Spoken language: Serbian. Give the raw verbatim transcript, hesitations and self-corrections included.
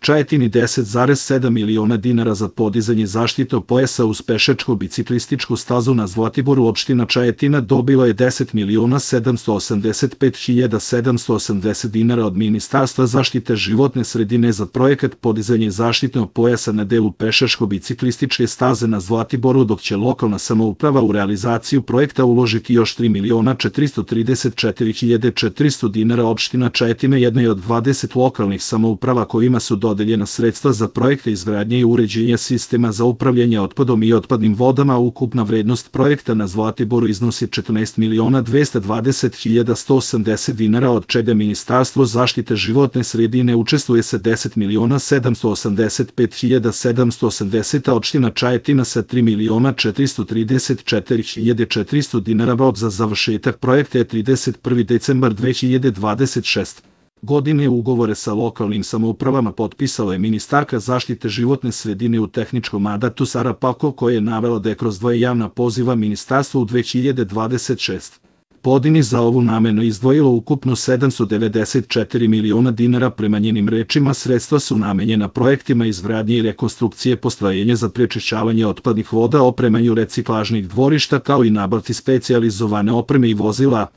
Čajetini deset zarez sedam miliona dinara za podizanje zaštitnog pojasa uz pešačko-biciklističku stazu na Zlatiboru. Opština Čajetina dobila je deset miliona sedamsto osamdeset pet hiljada sedamsto osamdeset dinara od Ministarstva zaštite životne sredine za projekat podizanje zaštitnog pojasa na delu pešačko-biciklističke staze na Zlatiboru, dok će lokalna samouprava u realizaciju projekta uložiti još tri miliona četiristo trideset četiri hiljade četiristo dinara. Opština Čajetina jedna je od dvadeset lokalnih samouprava kojima su dodeljena sredstva za projekte izgradnje i uređenja sistema za upravljanje otpadom i otpadnim vodama. Ukupna vrednost projekta na Zlatiboru iznosi četrnaest miliona dvesta dvadeset hiljada sto osamdeset dinara, od čega Ministarstvo zaštite životne sredine učestvuje sa deset miliona sedamsto osamdeset pet hiljada sedamsto osamdeset, a opština Čajetina sa tri miliona četiristo trideset četiri hiljade četiristo dinara. Rok za završetak projekta je trideset prvi decembar dve hiljade dvadeset šeste. godine. Ugovore sa lokalnim samoupravama potpisala je ministarka zaštite životne sredine u tehničkom mandatu Sara Pavkov, koja je navela da je kroz dvoje javna poziva ministarstvo u dve hiljade dvadeset šeste. godini za ovu namenu izdvojilo ukupno sedamsto devedeset četiri miliona dinara. Prema njenim rečima, sredstva su namenjena projektima izgradnje i rekonstrukcije postrojenja za prečišćavanje otpadnih voda, opremanju reciklažnih dvorišta, kao i nabavci specijalizovane opreme i vozila.